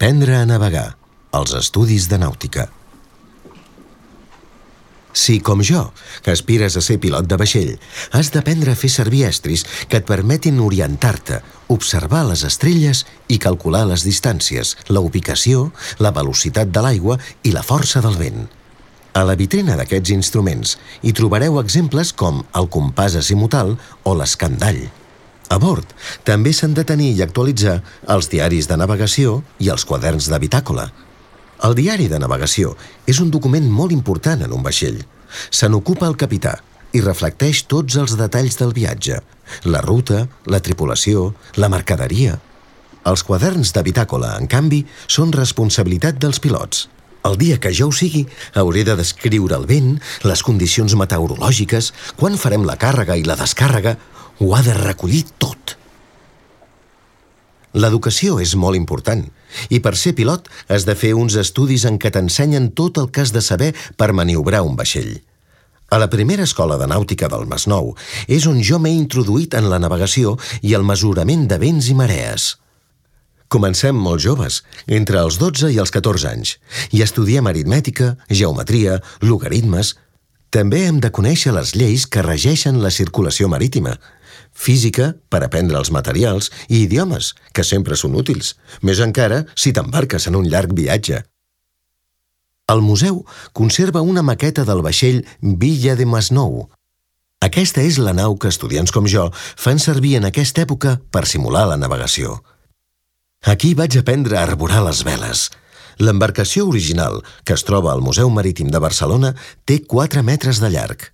Aprendre a navegar. Els estudis de nàutica. Si, com jo, aspires a ser pilot de vaixell, has d'aprendre a fer servir estris que et permetin orientar-te, observar les estrelles i calcular les distàncies, la ubicació, la velocitat de l'aigua i la força del vent. A la vitrina d'aquests instruments hi trobareu exemples com el compàs azimutal o l'escandall. A bord també s'han de tenir i actualitzar els diaris de navegació i els quaderns de bitàcola. El diari de navegació és un document molt important en un vaixell. Se n'ocupa el capità i reflecteix tots els detalls del viatge, la ruta, la tripulació, la mercaderia. Els quaderns de bitàcola, en canvi, són responsabilitat dels pilots. El dia que jo ho sigui, hauré de descriure el vent, les condicions meteorològiques, quan farem la càrrega i la descàrrega. Ho ha de recollir tot. L'educació és molt important i per ser pilot has de fer uns estudis en què t'ensenyen tot el que has de saber per maniobrar un vaixell. A la primera escola de nàutica del Masnou és on jo m'he introduït en la navegació i el mesurament de vents i marees. Comencem molt joves, entre els 12 i els 14 anys, i estudiem aritmètica, geometria, logaritmes. També hem de conèixer les lleis que regeixen la circulació marítima, física, per aprendre els materials, i idiomes, que sempre són útils, més encara si t'embarques en un llarg viatge. El museu conserva una maqueta del vaixell Villa de Masnou. Aquesta és la nau que estudiants com jo fan servir en aquesta època per simular la navegació. Aquí vaig aprendre a arborar les veles. L'embarcació original, que es troba al Museu Marítim de Barcelona, té 4 metres de llarg.